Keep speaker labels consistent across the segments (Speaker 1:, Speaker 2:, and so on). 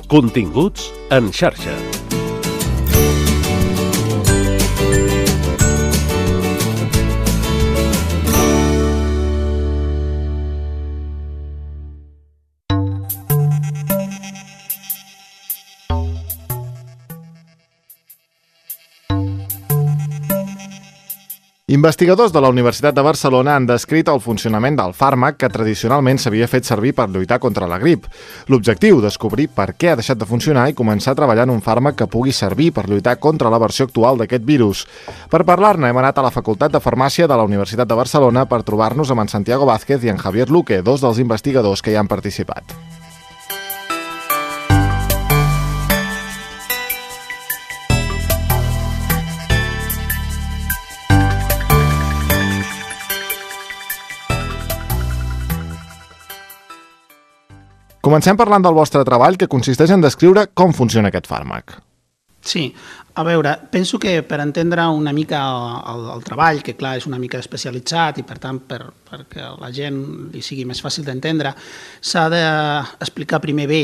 Speaker 1: Continguts en xarxa.
Speaker 2: Investigadors de la Universitat de Barcelona han descrit el funcionament del fàrmac que tradicionalment s'havia fet servir per lluitar contra la grip. L'objectiu, descobrir per què ha deixat de funcionar i començar a treballar en un fàrmac que pugui servir per lluitar contra la versió actual d'aquest virus. Per parlar-ne hem anat a la Facultat de Farmàcia de la Universitat de Barcelona per trobar-nos amb en Santiago Vázquez i en Javier Luque, dos dels investigadors que hi han participat. Comencem parlant del vostre treball, que consisteix en descriure com funciona aquest fàrmac.
Speaker 3: Sí, a veure, penso que per entendre una mica el treball, que clar és una mica especialitzat i per tant perquè a la gent li sigui més fàcil d'entendre, s'ha d'explicar primer bé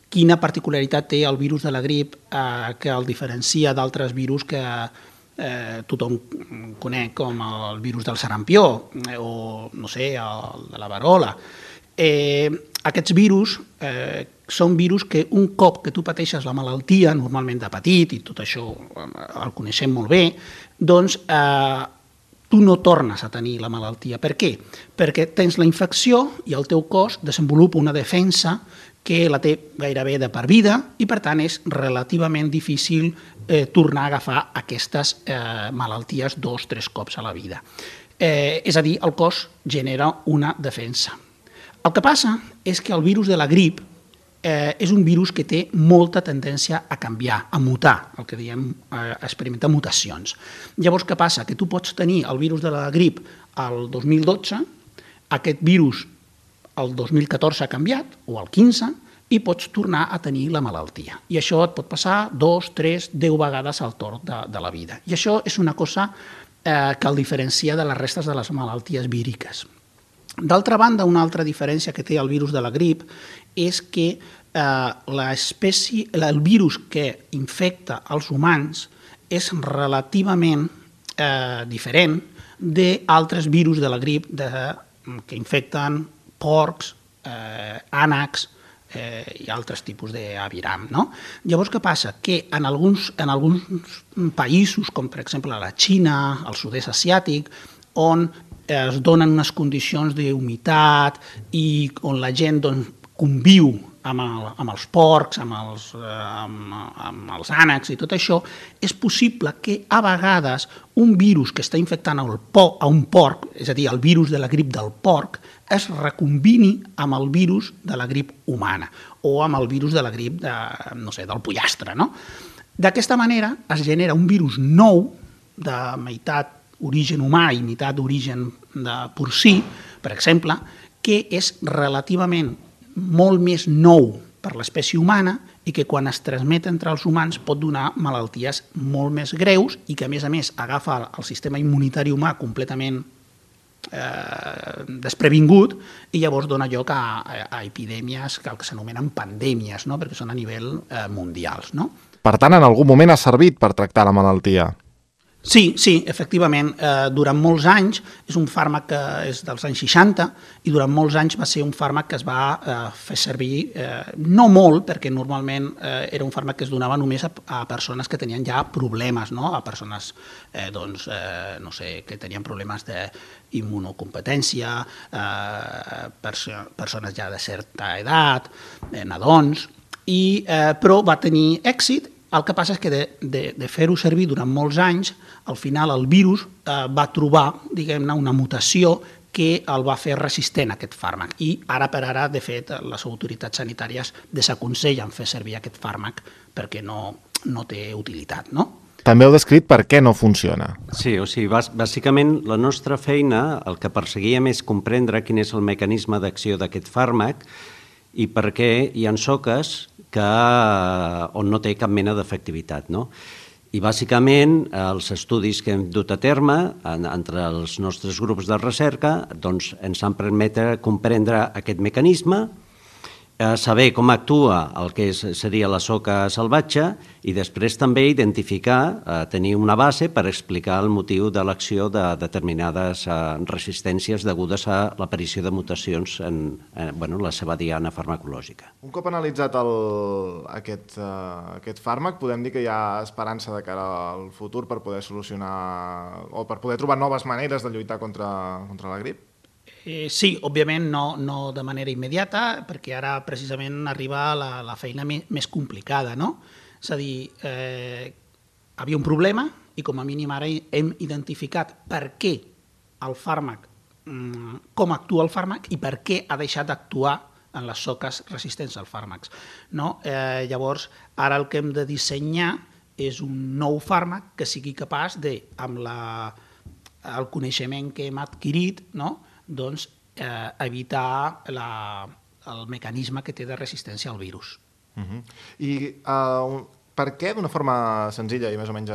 Speaker 3: quina particularitat té el virus de la grip que el diferencia d'altres virus que tothom coneix com el virus del sarampió o, no sé, el de la verola. Aquests virus són virus que un cop que tu pateixes la malaltia, normalment de petit, i tot això el coneixem molt bé, doncs tu no tornes a tenir la malaltia. Per què? Perquè tens la infecció i el teu cos desenvolupa una defensa que la té gairebé de per vida i per tant és relativament difícil tornar a agafar aquestes malalties 2 o 3 cops a la vida. És a dir, el cos genera una defensa. El que passa és que el virus de la grip és un virus que té molta tendència a canviar, a mutar, el que diem experimentar mutacions. Llavors, què passa? Que tu pots tenir el virus de la grip el 2012, aquest virus el 2014 ha canviat, o el 15, i pots tornar a tenir la malaltia. I això et pot passar 2, 3, 10 vegades al torn de la vida. I això és una cosa que el diferencia de les restes de les malalties víriques. D'altra banda, una altra diferència que té el virus de la grip és que el virus que infecta els humans és relativament diferent d'altres virus de la grip que infecten porcs, ànecs i altres tipus d'aviram. Llavors, què passa? Que en alguns països, com per exemple la Xina, el sud-est asiàtic, on es donen unes condicions d'humitat i on la gent conviu amb els porcs, amb els ànecs i tot això, és possible que a vegades un virus que està infectant a un porc, és a dir, el virus de la grip del porc, es recombini amb el virus de la grip humana o amb el virus de la grip del pollastre. D'aquesta manera es genera un virus nou de meitat origen humà i meitat d'origen porcí, per exemple, que és relativament molt més nou per l'espècie humana i que quan es transmet entre els humans pot donar malalties molt més greus i que, a més, agafa el sistema immunitari humà completament desprevingut i llavors dona lloc a epidèmies que s'anomenen pandèmies, perquè són a nivell mundials.
Speaker 2: Per tant, en algun moment ha servit per tractar la malaltia?
Speaker 3: Sí, efectivament, durant molts anys, és un fàrmac que és dels anys 60 i durant molts anys va ser un fàrmac que es va fer servir, no molt, perquè normalment era un fàrmac que es donava només a persones que tenien ja problemes, a persones que tenien problemes d'immunocompetència, persones ja de certa edat, nadons, però va tenir èxit. El que passa és que de fer-ho servir durant molts anys, al final el virus va trobar, diguem-ne, una mutació que el va fer resistent a aquest fàrmac. I ara per ara, de fet, les autoritats sanitàries desaconsellen fer servir aquest fàrmac perquè no té utilitat,
Speaker 2: També heu descrit per què no funciona.
Speaker 4: Sí, o sigui, bàsicament la nostra feina, el que perseguíem és comprendre quin és el mecanisme d'acció d'aquest fàrmac i per què hi ha soques on no té cap mena d'efectivitat. I bàsicament els estudis que hem dut a terme entre els nostres grups de recerca ens han permès comprendre aquest mecanisme saber com actua el que seria la soca salvatge i després també identificar, tenir una base per explicar el motiu de l'acció de determinades resistències degudes a l'aparició de mutacions en la seva diana farmacològica.
Speaker 2: Un cop analitzat aquest fàrmac, podem dir que hi ha esperança de cara al futur per poder solucionar o per poder trobar noves maneres de lluitar contra la grip?
Speaker 3: Sí, òbviament no de manera immediata, perquè ara precisament arriba la feina més complicada, no? És a dir, havia un problema i com a mínim ara hem identificat per què el fàrmac, com actua el fàrmac i per què ha deixat d'actuar en les soques resistents als fàrmacs. Llavors, ara el que hem de dissenyar és un nou fàrmac que sigui capaç de, amb el coneixement que hem adquirit, doncs, evitar el mecanisme que té de resistència al virus.
Speaker 2: I per què, d'una forma senzilla i més o menys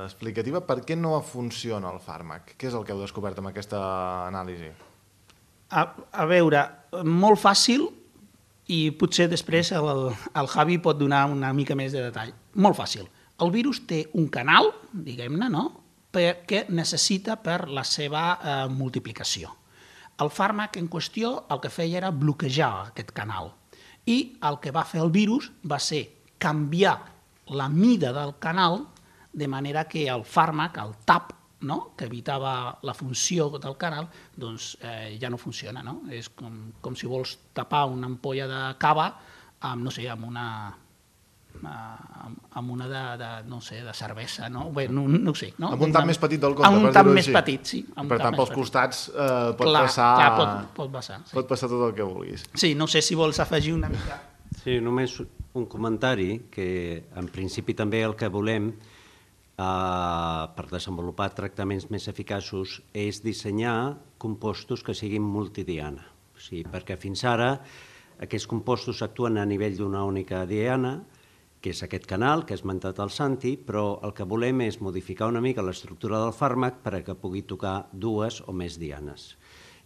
Speaker 2: explicativa, per què no funciona el fàrmac? Què és el que heu descobert amb aquesta anàlisi?
Speaker 3: A veure, molt fàcil, i potser després el Javi pot donar una mica més de detall. Molt fàcil. El virus té un canal, diguem-ne, que necessita per la seva multiplicació. El fàrmac en qüestió el que feia era bloquejar aquest canal i el que va fer el virus va ser canviar la mida del canal de manera que el fàrmac, el TAP, que evitava la funció del canal, doncs ja no funciona. És com si vols tapar una ampolla de cava amb una de cervesa, no ho sé.
Speaker 2: Amb un tap més petit del compte,
Speaker 3: per dir-ho així. Amb un tap més petit, sí.
Speaker 2: Per tant, pels costats pot passar tot el que vulguis.
Speaker 3: Sí, no sé si vols afegir una mica.
Speaker 4: Sí, només un comentari, que en principi també el que volem per desenvolupar tractaments més eficaços és dissenyar compostos que siguin multidiana. Perquè fins ara aquests compostos actuen a nivell d'una única diana, que és aquest canal que ha esmentat el Santi, però el que volem és modificar una mica l'estructura del fàrmac perquè pugui tocar dues o més dianes.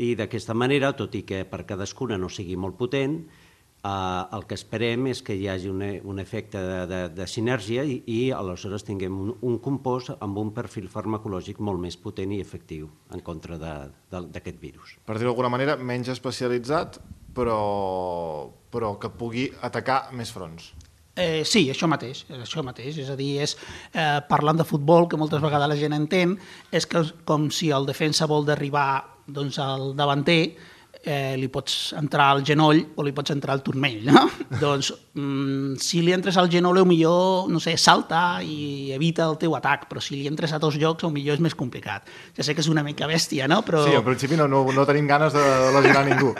Speaker 4: I d'aquesta manera, tot i que per cadascuna no sigui molt potent, el que esperem és que hi hagi un efecte de sinergia i aleshores tinguem un compost amb un perfil farmacològic molt més potent i efectiu en contra d'aquest virus.
Speaker 2: Per dir-ho d'alguna manera, menys especialitzat, però que pugui atacar més fronts.
Speaker 3: Sí, això mateix. És a dir, parlant de futbol, que moltes vegades la gent entén, és com si el defensa vol derribar al davanter, li pots entrar al genoll o li pots entrar al turmell, no? Doncs si li entres al genoll, potser salta i evita el teu atac, però si li entres a dos llocs, potser és més complicat. Ja sé que és una mica bèstia, no?
Speaker 2: Sí, en principi no tenim ganes de lesionar ningú.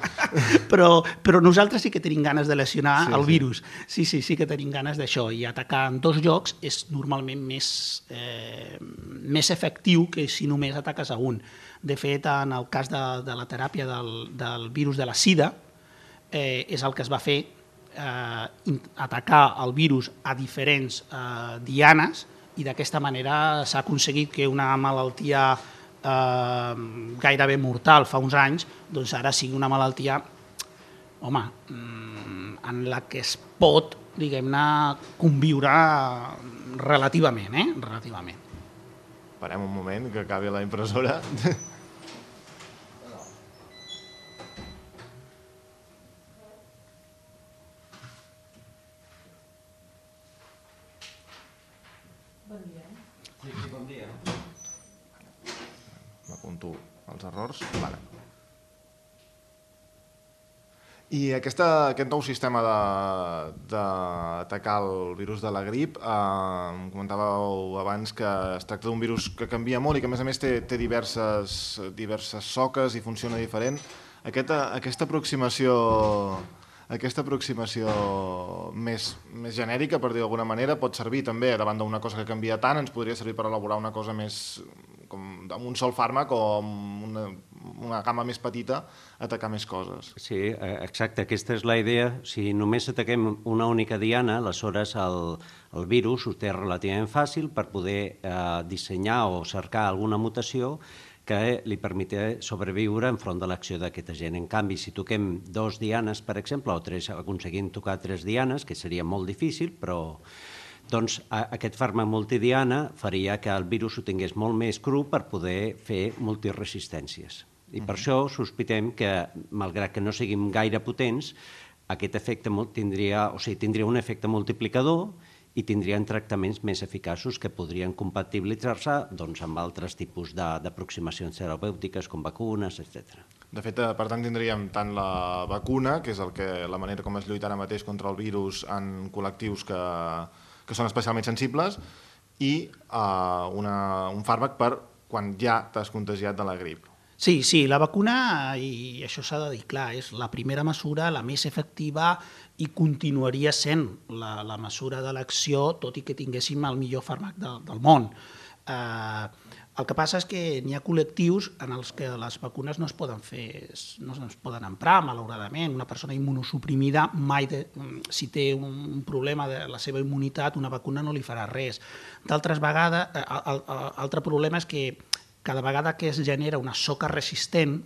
Speaker 3: Però nosaltres sí que tenim ganes de lesionar el virus. Sí que tenim ganes d'això, i atacar en dos llocs és normalment més efectiu que si només ataques a un. De fet, en el cas de la teràpia del virus de la sida, és el que es va fer, atacar el virus a diferents dianes, i d'aquesta manera s'ha aconseguit que una malaltia gairebé mortal fa uns anys, doncs ara sigui una malaltia, en la que es pot, diguem-ne, conviure relativament.
Speaker 2: Parem un moment, que acabi la impressora.
Speaker 4: Bon dia. Sí, bon dia.
Speaker 2: M'apunto els errors. Vale. I aquest nou sistema d'atacar el virus de la grip, comentàveu abans que es tracta d'un virus que canvia molt i que a més té diverses soques i funciona diferent. Aquesta aproximació més genèrica, per dir d'alguna manera, pot servir també davant d'una cosa que canvia tant, ens podria servir per elaborar una cosa més amb un sol fàrmac o amb una gamma més petita, atacar més coses.
Speaker 4: Sí, exacte, aquesta és la idea. Si només ataquem una única diana, aleshores el virus ho té relativament fàcil per poder dissenyar o cercar alguna mutació que li permet sobreviure enfront de l'acció d'aquest agent. En canvi, si toquem 2 dianes, per exemple, o 3, aconseguim tocar 3 dianes, que seria molt difícil, però doncs aquest fàrmac multidiana faria que el virus ho tingués molt més cru per poder fer multiresistències. I per això sospitem que, malgrat que no siguin gaire potents, aquest efecte tindria un efecte multiplicador i tindrien tractaments més eficaços que podrien compatibilitzar-se amb altres tipus d'aproximacions terapèutiques com vacunes, etc.
Speaker 2: De fet, per tant, tindríem tant la vacuna, que és la manera com es lluita ara mateix contra el virus en col·lectius que són especialment sensibles, i un fàrmac per quan ja t'has contagiat de la grip.
Speaker 3: Sí, la vacuna, i això s'ha de dir clar, és la primera mesura, la més efectiva, i continuaria sent la mesura de l'acció, tot i que tinguéssim el millor fàrmac del món. El que passa és que n'hi ha col·lectius en els que les vacunes no es poden emprar, malauradament. Una persona immunosuprimida mai, si té un problema de la seva immunitat, una vacuna no li farà res. D'altres vegades, altre problema és que cada vegada que es genera una soca resistent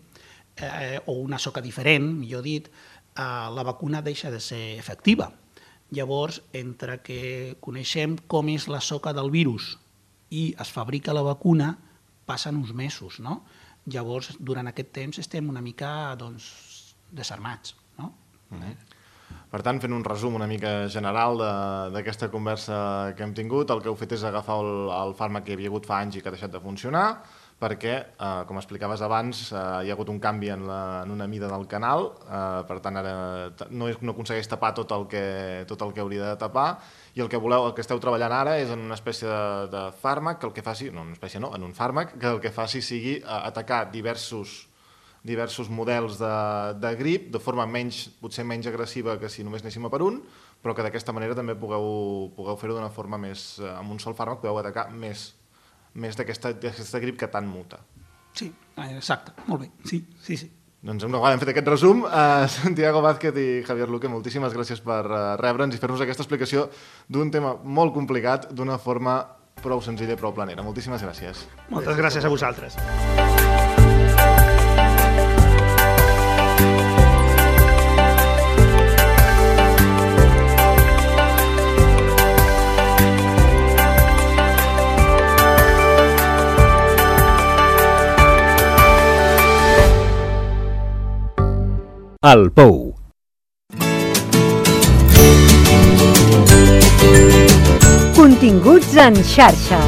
Speaker 3: o una soca diferent, millor dit, la vacuna deixa de ser efectiva. Llavors, entre que coneixem com és la soca del virus i es fabrica la vacuna, passen uns mesos, no? Llavors, durant aquest temps estem una mica desarmats, no?
Speaker 2: Per tant, fent un resum una mica general d'aquesta conversa que hem tingut, el que heu fet és agafar el fàrmac que hi havia hagut fa anys i que ha deixat de funcionar, perquè, com explicaves abans, hi ha hagut un canvi en una mida del canal, per tant ara no aconsegueix tapar tot el que hauria de tapar, i el que esteu treballant ara és en una espècie de fàrmac que el que faci, no, una espècie no, en un fàrmac que el que faci sigui atacar diversos models de grip de forma potser menys agressiva que si només anéssim a per un, però que d'aquesta manera també pugueu fer-ho d'una forma més, amb un sol fàrmac podeu atacar més d'aquesta grip que tant muta.
Speaker 3: Sí, exacte, molt bé, sí.
Speaker 2: Doncs una vegada hem fet aquest resum, Santiago Vázquez i Javier Luque, moltíssimes gràcies per rebre'ns i fer-nos aquesta explicació d'un tema molt complicat d'una forma prou senzilla i prou planera. Moltíssimes gràcies.
Speaker 3: Moltes gràcies a vosaltres.
Speaker 1: El Pou.
Speaker 5: Continguts en xarxa.